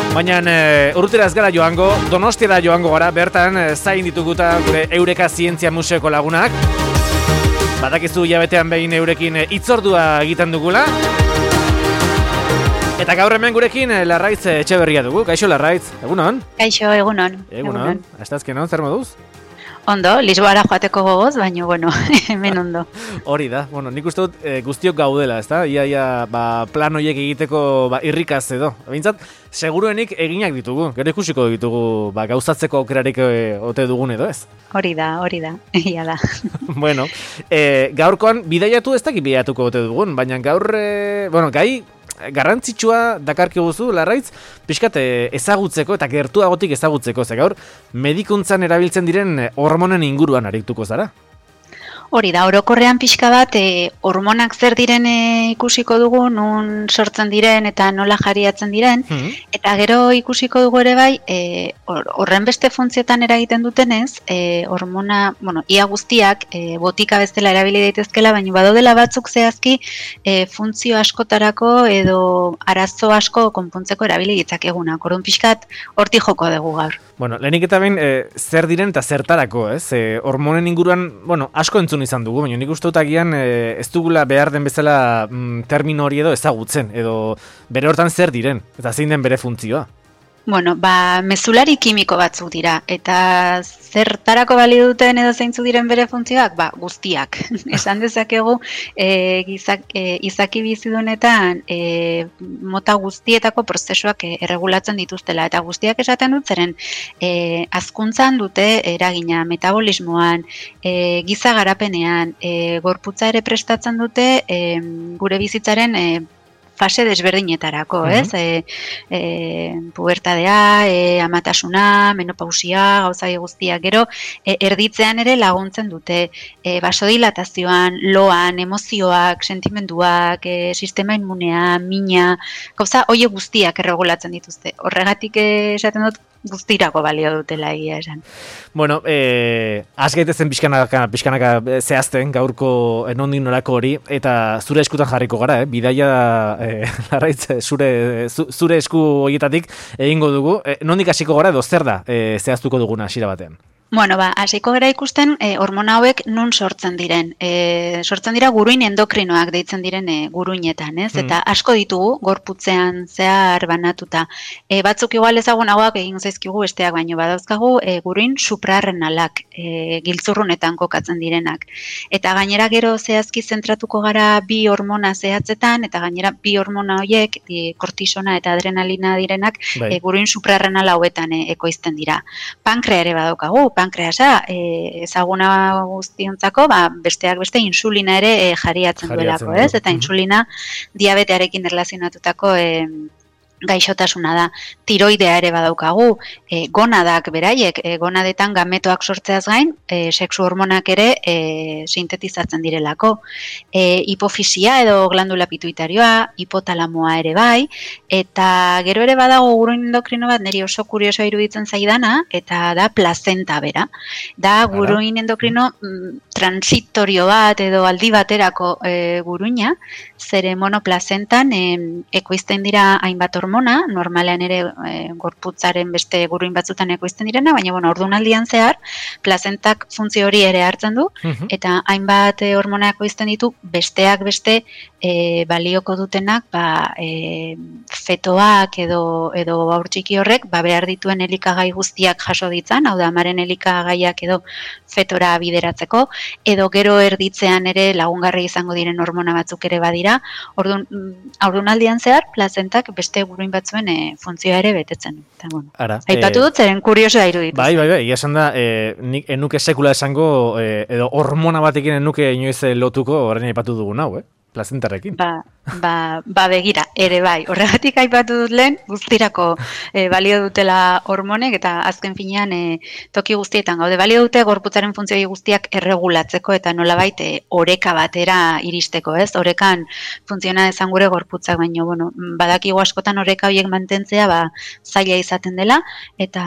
Baina urrutera ez gara joango, Donostiara joango gara, bertan zain dituguta gure Eureka Zientzia Museoko lagunak. Badakizu hilabetean behin eurekin hitzordua egiten dugula. Eta gaur hemen gurekin Larraitz Etxeberria dugu. Kaixo Larraitz, egunon? Kaixo, egunon. Egunon. Astazkenon, zer moduz? Ondo, Lisboara joateko gogoz, baina, bueno, hemen ondo. Hori da, bueno, nik uste dut guztiok gaudela, ezta? Ia, plan horiek egiteko irrikaz edo. Bintzat, seguruenik eginak ditugu, gero ikusiko ditugu gauzatzeko aukerarik ote dugun edo ez? Hori da, ia da. Bueno, gaurkoan bidaiatu ez dakit bidaiatuko ote dugun, baina gaur, gai garrantzitsua dakarkiguzu, Larraitz, pixkat ezagutzeko eta gertuagotik ezagutzeko, ze gaur medikuntzan erabiltzen diren hormonen inguruan arituko zara. Hori da, orokorrean pixka bat, hormonak zer diren ikusiko dugu, nun sortzen diren eta nola jariatzen diren, eta gero ikusiko dugu ere bai, horren beste funtzioetan eragiten dutenez, hormona, ia guztiak, botika bezala erabili daitezkela, baina badaudela batzuk zehazki, funtzio askotarako edo arazo asko konpontzeko erabili ditzakegunak, orduan pixkat hortik joko dugu gaur. Bueno, lehenik eta behin, zer diren eta zertarako, ez? Hormonen inguruan, asko entzun izan dugu, baina nik uste dut agian ez dugula behar den bezala termino hori edo ezagutzen, edo bere hortan zer diren, eta zein den bere funtzioa. Mezulari kimiko batzuk dira, eta zertarako balio duten edo zeintzuk diren bere funtzioak? Guztiak. Esan dezakegu, izaki bizidunetan mota guztietako prozesuak erregulatzen dituztela, eta guztiak esaten dut zeren hazkuntzan dute eragina metabolismoan, giza garapenean, gorputza ere prestatzen dute gure bizitzaren fase desberdinetarako, ez? Pubertadea, amatasuna, menopausia, gauzai guztiak, gero erditzean ere laguntzen dute, basodilatazioan, loan, emozioak, sentimenduak, sistema inmunea, mina, gauza horiek guztiak erregulatzen dituzte. Horregatik esaten dut guztirako balio dutela egia esan. Bueno, az gaitezen pixkanaka zehazten gaurko nondik norako hori, eta zure eskutan jarriko gara, bidaia Larraitz, zure esku horietatik egingo dugu. Nondik hasiko gara edo zer da zehaztuko duguna hasiera batean? Hasiko gara ikusten hormona hauek nun sortzen diren. Sortzen dira guruin endokrinoak deitzen diren guruinetan, ez? Eta asko ditugu gorputzean zehar banatuta. Batzuk igual ezagunagoak egin zaizkigu besteak baino badauzkagu guruin suprarrenalak, giltzurrunetan kokatzen direnak. Eta gainera gero zehazki zentratuko gara bi hormona zehatzetan, eta gainera bi hormona horiek, kortisona eta adrenalina direnak, guruin suprarrenal hauetan ekoizten dira. Pankrea ere badaukagu, pankreasa ezaguna guztiontzako, besteak beste insulina ere jariatzen duelako, ez? Eta insulina diabetearekin erlazionatutako gaixotasuna da. Tiroidea ere badaukagu, gonadak beraiek, gonadetan gametoak sortzeaz gain, sexu hormonak ere sintetizatzen direlako. Hipofisia edo glandula pituitarioa, hipotalamoa ere bai, eta gero ere badago guruin endokrino bat niri oso kuriosoa iruditzen zaidana, eta da plazenta bera. Da guruin endokrino transitorio bat edo aldi baterako guruina, zere monoplazentan ekoizten dira hainbat hormona, normalean ere gorputzaren beste guruin batzutan ekoizten direna, baina ordunaldian zehar, plazentak funtzio hori ere hartzen du, eta hainbat hormona ekoizten ditu, besteak beste balioko dutenak, fetoak edo haur txiki horrek, behar dituen elikagai guztiak jaso ditzan, hau da, amaren elikagaiak edo fetora bideratzeko, edo gero erditzean ere lagungarri izango diren hormona batzuk ere badira, ordunaldian zehar, plazentak beste guruin batzuen funtzioa ere betetzen. Aipatu dut, zeren kuriosoa iruditu. Bai, esan da, nik enuke sekula esango, edo hormona batekin enuke inoiz lotuko, horrein aipatu dugun hau, plazentarekin. Begira, ere bai. Horregatik aipatu dut lehen, guztirako balio dutela hormonek, eta azken finean toki guztietan gaude. Balio dute gorputzaren funtzioa guztiak erregulatzeko, eta nolabait oreka batera iristeko, ez? Orekan funtziona dezan gure gorputzak, baino, badakigu askotan oreka horiek mantentzea zaila izaten dela, eta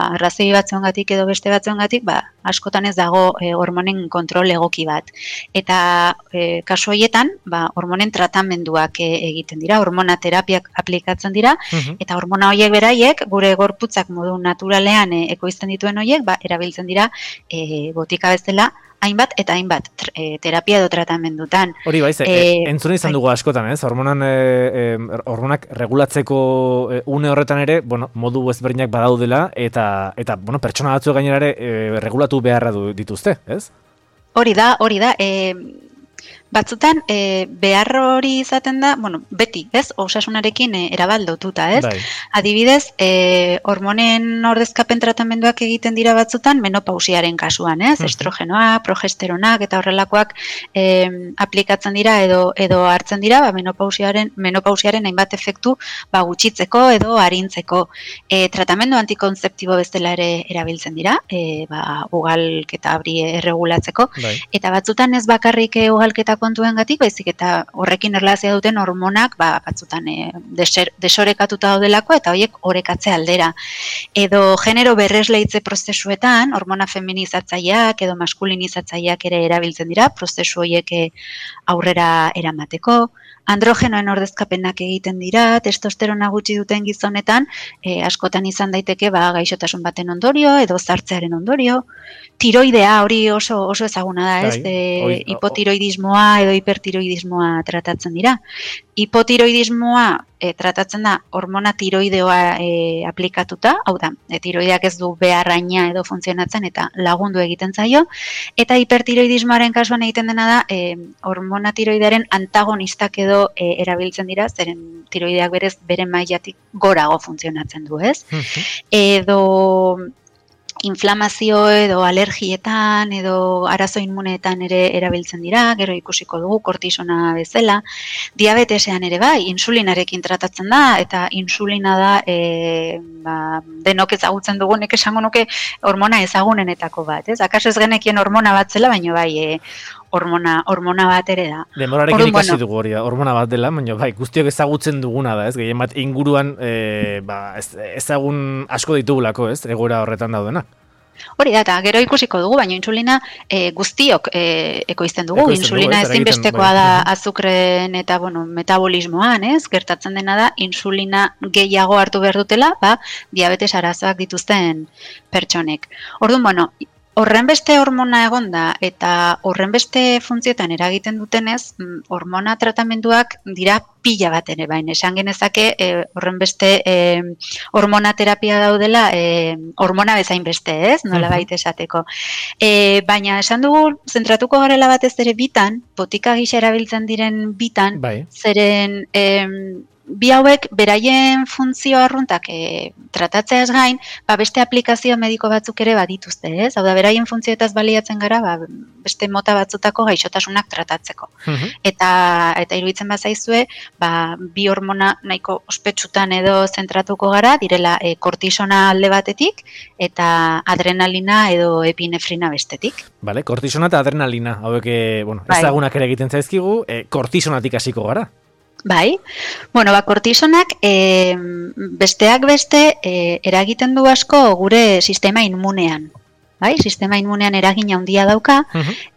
arrazoi batzuengatik edo beste batzuengatik, askotan ez dago hormonen kontrol egoki bat. Eta kasu horietan, hormonen tratamenduak egiten dira, hormonaterapiak aplikatzen dira, eta hormona horiek beraiek, gure gorputzak modu naturalean ekoizten dituen horiek, erabiltzen dira botika bezala, hainbat eta hainbat terapia edo tratamendutan. Hori baiz, entzun izan dugu askotan, ez? Hormonak regulatzeko une horretan ere, modu ezberdinak badaudela, eta pertsona batzu gainera ere regulatu beharra dituzte, ez? Hori da, batzutan behar hori izaten da, beti, ez? Osasunarekin erabaldotuta, ez? Bai. Adibidez, hormonen ordezkapen tratamenduak egiten dira batzutan menopausiaren kasuan, ez? Estrogenoak, progesteronak eta horrelakoak aplikatzen dira edo hartzen dira, menopausiaren hainbat efektu gutxitzeko edo arintzeko. Tratamendu antikonzeptibo bezala ere erabiltzen dira, ugalketa hori erregulatzeko, eta batzutan ez bakarrik ugalketa kontuengatik, baizik eta horrekin erlazioa duten hormonak batzutan desorekatuta daudelako eta horiek orekatze aldera. Edo genero berresleitze prozesuetan, hormona feminizatzaileak edo maskulinizatzaileak ere erabiltzen dira, prozesu horiek aurrera eramateko. Androgenoen ordezkapenak egiten dira, testosterona gutxi duten gizonetan, askotan izan daiteke gaixotasun baten ondorio edo zartzearen ondorio. Tiroidea hori oso ezaguna da, ez? Hipotiroidismoa edo hipertiroidismoa tratatzen dira. Hipotiroidismoa tratatzen da hormona tiroideoa aplikatuta, hau da, tiroideak ez du beharraina edo funtzionatzen eta lagundu egiten zaio, eta hipertiroidismoaren kasuan egiten dena da hormona tiroidearen antagonistak edo erabiltzen dira, zeren tiroideak berez bere mailatik gorago funtzionatzen du, ez? Edo inflamazio edo alergietan edo arazo inmuneetan ere erabiltzen dira, gero ikusiko dugu kortisona bezala. Diabetesean ere insulinarekin tratatzen da, eta insulina da denok ezagutzen dugunek esango nuke hormona ezagunenetako bat, ez? Akaso ez genekien hormona bat zela, baina hormona bat ere da. Demorarekin ikasi dugu hori da, hormona bat dela, baina guztiok ezagutzen duguna da, ez? Gehien bat inguruan ezagun asko ditugulako, ez? Egoera horretan daudenak. Hori da, eta gero ikusiko dugu, baina insulina guztiok ekoizten dugu. Insulina ezinbestekoa da azukren eta metabolismoan, ez? Gertatzen dena da, insulina gehiago hartu behar dutela, diabetes arazoak dituzten pertsonek. Orduan, horrenbeste hormona egonda eta horrenbeste funtzioetan eragiten dutenez, hormona tratamenduak dira pila bat ere baina. Esan genezake horrenbeste hormona terapia daudela hormona bezain beste, ez? Nola baita esateko. Baina esan dugu, zentratuko garela batez ere bitan, botika gisa erabiltzen diren bitan, zeren bi hauek beraien funtzio arruntak tratatzeaz gain, beste aplikazio mediko batzuk ere badituzte, ez? Hau da, beraien funtzioetaz baliatzen gara, beste mota batzutako gaixotasunak tratatzeko. Eta iruditzen bazaizue, bi hormona nahiko ospetsutan edo zentratuko gara, direla kortisona alde batetik, eta adrenalina edo epinefrina bestetik. Bale, kortisona eta adrenalina, hauek, ezagunak ere egiten zaizkigu, kortisonatik hasiko gara. Kortisonak besteak beste eragiten du asko gure sistema inmunean. Sistema inmunean eragina handia dauka,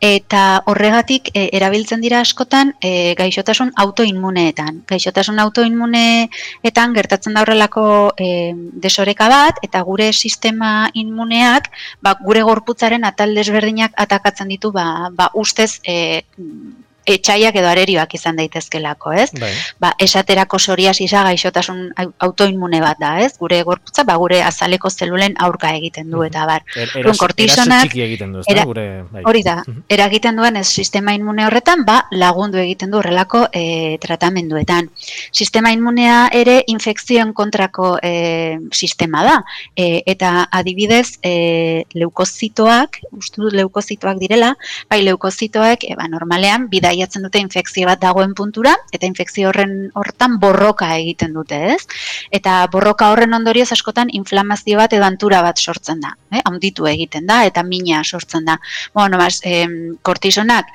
eta horregatik erabiltzen dira askotan gaixotasun autoinmuneetan. Gaixotasun autoinmuneetan gertatzen da horrelako desoreka bat, eta gure sistema inmuneak gure gorputzaren atal desberdinak atakatzen ditu ustez etxaiak edo arerioak izan daitezkelako, ez? Esaterako psoriasisa gaixotasun autoinmune bat da, ez? Gure gorputza, gure azaleko zelulen aurka egiten du, eta bar. Eraso txiki egiten du, ez da? Hori da, eragiten duen ez sistema inmune horretan, lagundu egiten du horrelako tratamenduetan. Sistema inmunea ere infekzioen kontrako sistema da, eta adibidez leukozitoak, uste dut leukozitoak direla, leukozitoak normalean bidaiatzen dute infekzio bat dagoen puntura, eta infekzio hortan borroka egiten dute, ez? Eta borroka horren ondorioz askotan inflamazio bat edo antura bat sortzen da, handitu egiten da, eta mina sortzen da. Kortisonak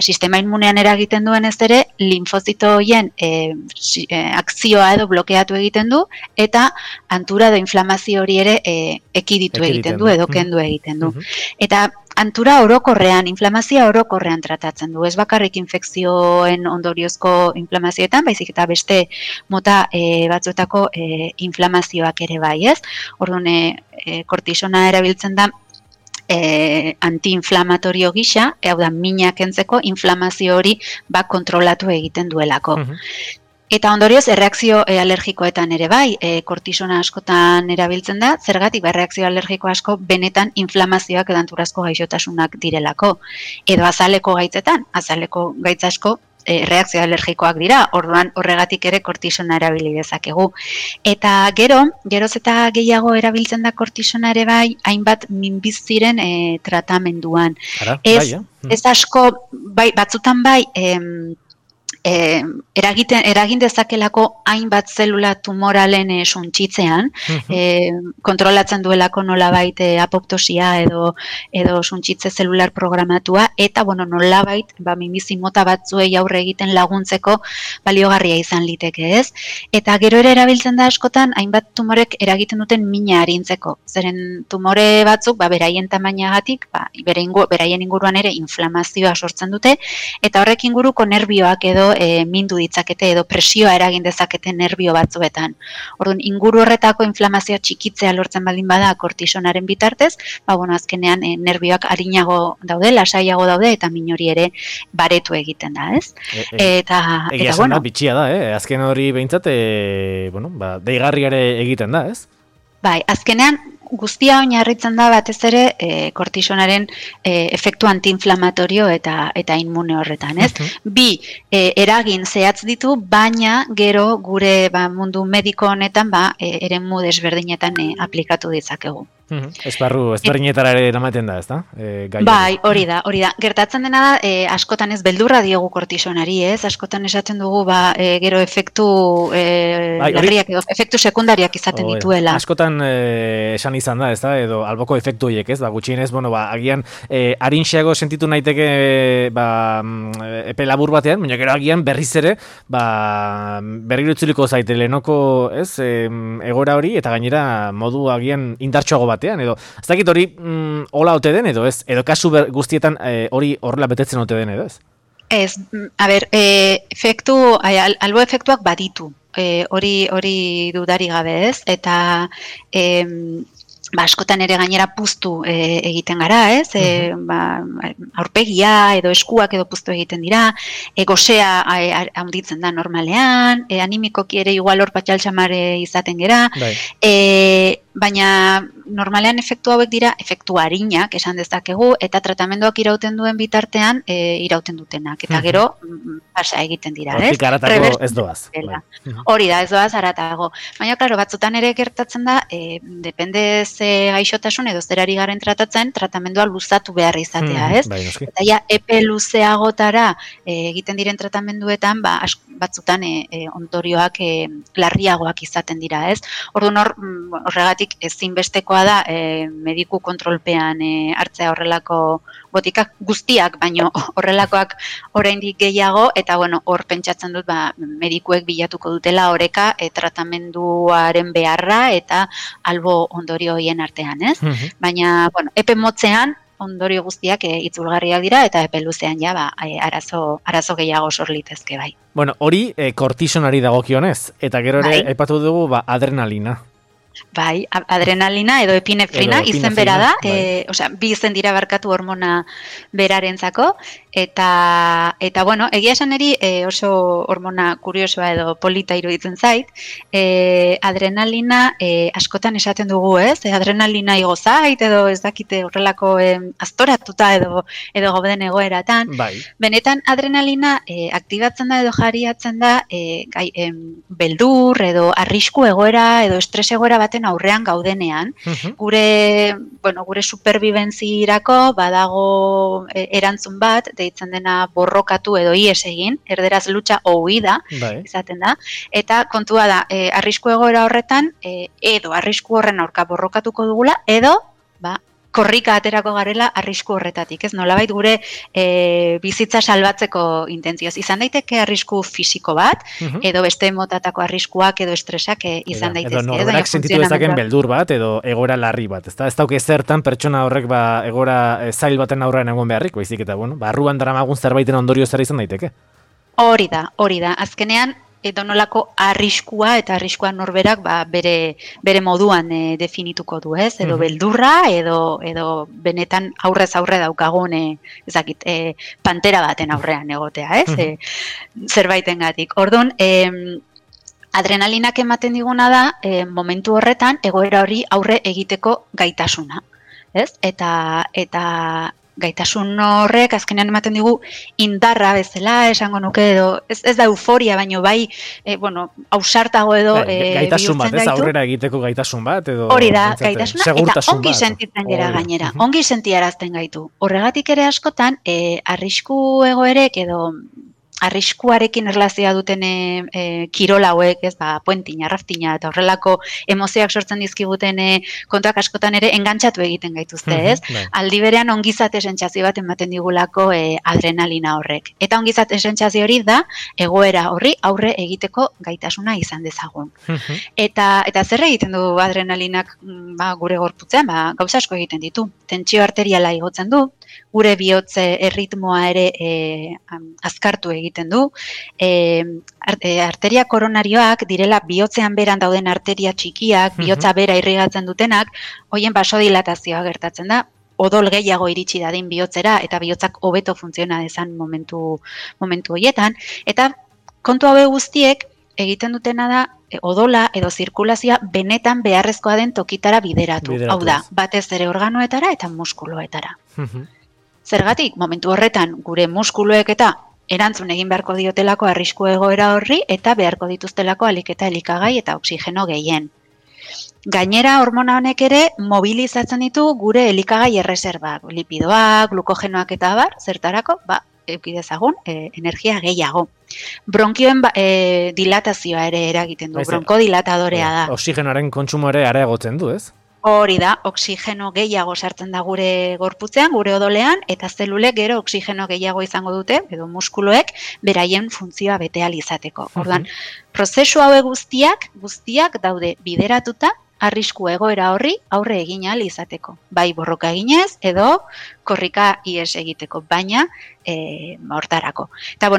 sistema inmunean eragiten duen ez ere, linfozito horien akzioa edo blokeatu egiten du, eta antura edo inflamazio hori ere ekiditu egiten du, edo kendu egiten du. Eta antura orokorrean, inflamazioa orokorrean tratatzen du. Ez bakarrik infekzioen ondoriozko inflamazioetan, baizik eta beste mota batzuetako inflamazioak ere bai, ez? Orduan, kortisona erabiltzen da antiinflamatorio gisa, hau da, mina kentzeko inflamazio hori kontrolatu egiten duelako. Eta ondorioz, erreakzio alergikoetan ere bai, kortisona askotan erabiltzen da, zergatik erreakzio alergiko asko benetan inflamazioak edo anturazko gaixotasunak direlako. Edo azaleko gaitzetan, azaleko gaitz asko reakzio alergikoak dira, orduan horregatik ere kortisona erabili dezakegu. Eta geroz eta gehiago erabiltzen da kortisona ere bai, hainbat minbiziren tratamenduan. Ez asko, batzutan bai, eragin dezakelako hainbat zelula tumoralen suntsitzean, kontrolatzen duelako nolabait apoptosia edo suntsitze zelular programatua, eta nolabait minbizi mota batzuei aurre egiten laguntzeko baliogarria izan liteke, ez? Eta gero ere erabiltzen da askotan hainbat tumorek eragiten duten mina arintzeko. Zeren tumore batzuk, beraien tamainagatik, beraien inguruan ere inflamazioa sortzen dute, eta horrek inguruko nerbioak edo mindu ditzakete edo presioa eragin dezakete nerbio batzuetan. Orduan, inguru horretako inflamazioa txikitzea lortzen baldin bada kortisonaren bitartez, azkenean nerbioak arinago daude, lasaiago daude, eta min hori ere baretu egiten da, ez? Egia esan da, bitxia da, azken hori behintzat, deigarri ere egiten da, ez? Bai, azkenean, guztia oinarritzen da batez ere kortisonaren efektu antiinflamatorio eta inmune horretan, ez? Bi, eragin zehatz ditu, baina gero gure mundu mediko honetan eremu desberdinetan aplikatu ditzakegu. Esparru ezberdinetara ere eramaten da, ez da? Bai, hori da. Gertatzen dena da, askotan ez beldurra diogu kortisonari, ez? Askotan esaten dugu, gero efektu larriak edo efektu sekundariak izaten dituela. Askotan esan izan da, ez da? Edo alboko efektu horiek, ez? Gutxienez, agian arinxeago sentitu naiteke epe labur batean, baina gero agian berriz ere, berriro itzuliko zaite lehenoko, ez? Egora hori, eta gainera modu agian indartsuago batean, edo ez dakit hori hola ote den, edo ez? Edo kasu guztietan hori horrela betetzen ote den, edo ez? Ez, albo efektuak baditu, hori dudari gabe, ez? Eta askotan ere gainera puztu egiten gara, ez? Aurpegia edo eskuak edo puztu egiten dira, gosea handitzen da normalean, animikoki ere igual hor patxaltxamare izaten gera, baina normalean efektu hauek dira efektu arinak esan dezakegu, eta tratamenduak irauten duen bitartean irauten dutenak, eta gero pasa egiten dira, ez? Hortik haratago ez doaz. Hori da, ez doaz haratago. Baina, klaro, batzutan ere gertatzen da, depende ze gaixotasun edo zerari garen tratatzen, tratamendua luzatu behar izatea, ez? Eta ja, epe luzeagotara egiten diren tratamenduetan, batzutan ondorioak larriagoak izaten dira, ez? Orduan horregatik ezinbestekoa da mediku kontrolpean hartzea horrelako botikak guztiak, baino horrelakoak oraindik gehiago, eta hor pentsatzen dut medikuek bilatuko dutela oreka tratamenduaren beharra eta albo ondorio hoien artean, ez? Baina, epe motzean ondorio guztiak itzulgarriak dira, eta epe luzean arazo gehiago sor litezke bai. Hori kortisonari dagokionez, eta gero ere aipatu dugu adrenalina. Bai, adrenalina edo epinefrina izen bera da, bi izen dira barkatu hormona berarentzako, eta egia esan eri oso hormona kuriosoa edo polita iruditzen zait, adrenalina askotan esaten dugu, ez? Adrenalina igo zait, edo ez dakite horrelako aztoratuta edo gauden egoeratan. Benetan adrenalina aktibatzen da edo jariatzen da beldur edo arrisku egoera edo estres egoera baten aurrean gaudenean, gure superbibentzirako badago erantzun bat, deitzen dena borrokatu edo ies egin, erderaz lucha o huida, izaten da, eta kontua da, arrisku egoera horretan, edo arrisku horren aurka borrokatuko dugula, edo, korrika aterako garela arrisku horretatik, ez? Nolabait gure bizitza salbatzeko intentzioz. Izan daiteke arrisku fisiko bat, edo beste motatako arriskuak edo estresak izan daitezke. Edo norberak sentitu dezaken beldur bat, edo egoera larri bat, ezta? Ez dauke zertan pertsona horrek egoera zail baten aurrean egon beharrik, baizik eta, barruan daramagun zerbaiten ondorio zer izan daiteke? Hori da. Azkenean, edonolako arriskua eta arriskua norberak bere moduan definituko du, ez? Edo beldurra, edo benetan aurrez aurre daukagun pantera baten aurrean egotea, ez? Zerbaitengatik. Orduan, adrenalinak ematen diguna da, momentu horretan, egoera hori aurre egiteko gaitasuna, ez? Eta gaitasun horrek azkenean ematen digu indarra bezala, esango nuke edo, ez da euforia, baino bai, ausartago edo gaitasun bat, ez aurrera egiteko gaitasun bat, edo hori da, gaitasuna, eta ongi sentitzen gera gainera, ongi sentiarazten gaitu. Horregatik ere askotan, arrisku egoerek edo arriskuarekin erlazioa duten kirol hauek, ez, puentina, raftina, eta horrelako emozioak sortzen dizkiguten kontuak askotan ere engantxatu egiten gaituzte, ez? Aldi berean ongizate sentsazio bat ematen digulako adrenalina horrek. Eta ongizate sentsazio hori da, egoera horri aurre egiteko gaitasuna izan dezagun. Eta zer egiten du adrenalinak gure gorputzean, gauza asko egiten ditu. Tentsio arteriala igotzen du, gure bihotze erritmoa ere azkartu egiten du. Arteria koronarioak direla bihotzean beran dauden arteria txikiak, bihotza bera irrigatzen dutenak, hoien basodilatazioa gertatzen da, odol gehiago iritsi dadin bihotzera eta bihotzak hobeto funtziona dezan momentu horietan. Eta kontu hauek guztiek egiten dutena da, odola edo zirkulazioa benetan beharrezkoa den tokitara bideratu. Hau da, batez ere organoetara eta muskuloetara. Zergatik, momentu horretan gure muskuluek eta erantzun egin beharko diotelako arrisku egoera horri eta beharko dituztelako alik eta elikagai eta oksigeno gehien. Gainera, hormona honek ere mobilizatzen ditu gure elikagai erreserbak, lipidoak, glukogenoak eta abar, zertarako, eukidezagun, energia gehiago. Bronkioen dilatazioa ere eragiten du, bronkodilatadorea da. Oxigenoaren kontsumo ere areagotzen du, ez? Hori da, oksigeno gehiago sartzen da gure gorputzean, gure odolean, eta zelulek gero oksigeno gehiago izango dute, edo muskuloek, beraien funtzioa bete ahal izateko. Orduan, prozesu hauek guztiak daude bideratuta, arrisku egoera horri aurre egin ahal izateko. Bai borroka eginez, edo korrika ihes egiteko, baina hortarako. Eta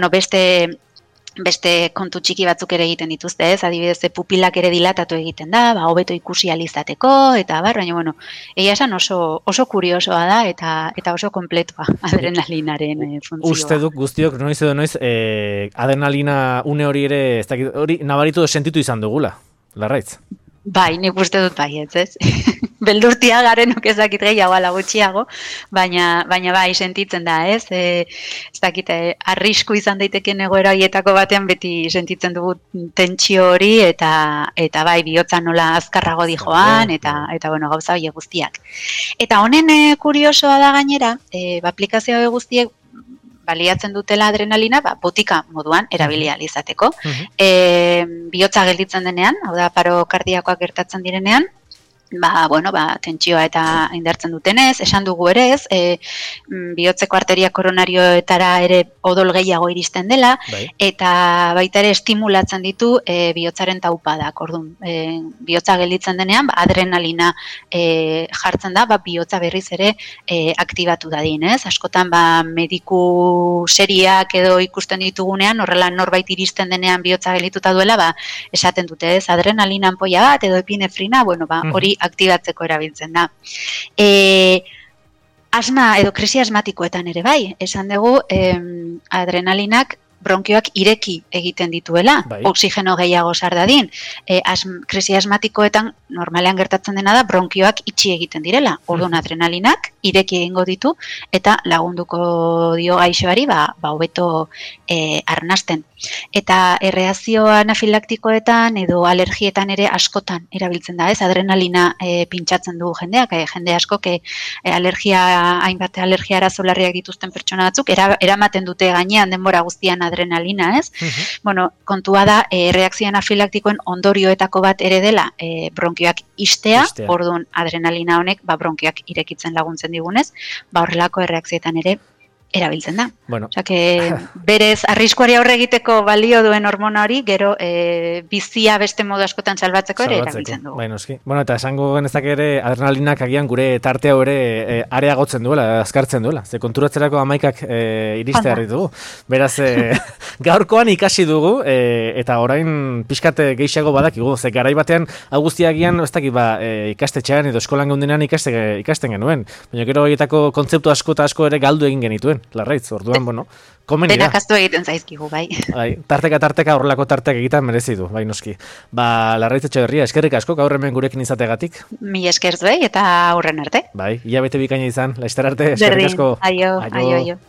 beste kontu txiki batzuk ere egiten dituzte, ez? Adibidez, pupilak ere dilatatu egiten da, hobeto ikusi ahal izateko, eta baina, egia esan oso kuriosoa da, eta oso kompletua adrenalinaren funtzioa. Uste duk guztiok, noiz edo noiz, adrenalina une hori ere, ez dakit, hori nabaritu sentitu izan dugula, Larraitz? Bai, nik uste dut baietz, ez? Beldurtia garenok ezakit gehiago ala gutxiago, baina bai sentitzen da, ez? Ez dakit, arrisku izan daiteken egoera horietako batean beti sentitzen dugu tentsio hori eta bai bihotza nola azkarrago dijoan eta gauza horiek guztiak. Eta honen kuriosoa da gainera, aplikazio horiek guztiek baliatzen dutela adrenalina, botika moduan erabili ahal izateko. Bihotza gelditzen denean, hau da paro kardiakoak gertatzen direnean, tentsioa eta indartzen dutenez, esan dugu ere ez, bihotzeko arteria koronarioetara ere odol gehiago iristen dela, eta baita ere estimulatzen ditu bihotzaren taupadak. Orduan, bihotza gelditzen denean, adrenalina jartzen da, bihotza berriz ere aktibatu dadin, ez? Askotan, mediku seriak edo ikusten ditugunean, horrela norbait iristen denean bihotza geldituta duela, esaten dute, ez? Adrenalina anpoia bat edo epinefrina, hori aktibatzeko erabiltzen da. Asma edo krisi asmatikoetan ere bai, esan dugu adrenalinak bronkioak ireki egiten dituela, oksigeno gehiago sar dadin. Krisi asmatikoetan normalean gertatzen dena da bronkioak itxi egiten direla. Orduan adrenalinak ireki egingo ditu eta lagunduko dio gaixoari hobeto arnasten. Eta erreakzio anafilaktikoetan edo alergietan ere askotan erabiltzen da, ez? Adrenalina pintsatzen du jendeak, jende askok hainbat alergia arazo larriak dituzten pertsona batzuk eramaten dute gainean denbora guztian adrenalina, ez? Bueno, kontua da, reakzio anafilaktikoen ondorioetako bat ere dela bronkioak istea, orduan adrenalina honek bronkioak irekitzen laguntzen digunez, horrelako erreakzioetan ere erabiltzen da. Bueno. Osea, berez arriskuari aurre egiteko balio duen hormona hori, gero bizia beste modu askotan salbatzeko ere erabiltzen dugu. Bai, noski. Bueno, eta esango genezak ere adrenalinak agian gure tartea ere areagotzen duela, azkartzen duela. Ze konturatzerako 11ak iriste harri dugu. Beraz, gaurkoan ikasi dugu, eta orain pixkate gehiago badakigu. Ze garai batean, hau guztiagian, ez dakit, ikastetxean edo eskolan geundenean ikasten genuen. Baina gero horietako kontzeptu asko eta asko ere galdu egin genituen. Larraitz, orduan, komeni da. Benakaztu egiten zaizkigu, bai. Tarteka horrelako tartek egiten merezi du, bai noski. Larraitz Etxeberria, eskerrik asko, gaur hemen gurekin izategatik. Mi esker zuei eta aurren arte. Bai, hilabete bikaina izan, laizter arte, eskerrik asko. Aio.